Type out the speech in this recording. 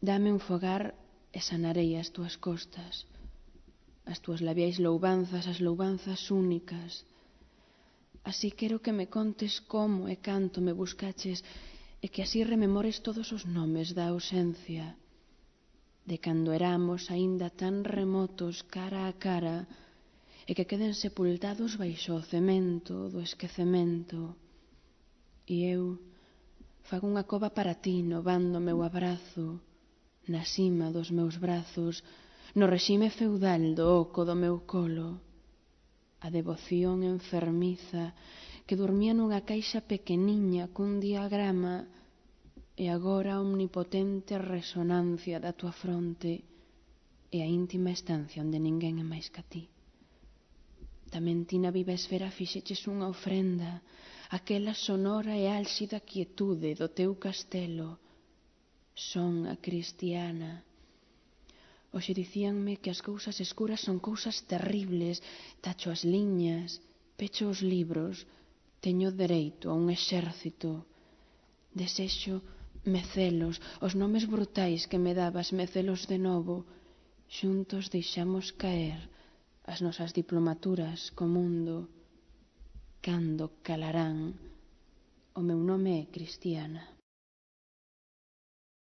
Dame un fogar e sanarei as túas costas, as túas labiais louvanzas, as louvanzas únicas. Así quero que me contes como e canto me buscaches e que así rememores todos os nomes da ausencia, de cando éramos aínda tan remotos cara a cara e que queden sepultados baixo o cemento do esquecemento. E eu fago unha cova para ti no van do meu abrazo, na cima dos meus brazos, no regime feudal do oco do meu colo, a devoción enfermiza que dormía nunha caixa pequeniña cun diagrama e agora a omnipotente resonancia da tua fronte e a íntima estancia onde ninguén é máis ca ti. Tamén ti na viva esfera fixeches unha ofrenda, aquela sonora e álxida quietude do teu castelo. Son a cristiana. Hoxe dicíanme que as cousas escuras son cousas terribles. Tacho as liñas, pecho os libros, teño dereito a un exército. Desexo mecelos, os nomes brutais que me dabas, mecelos de novo. Xuntos deixamos caer as nosas diplomaturas co mundo. Cando calarán? O meu nome é Cristiana.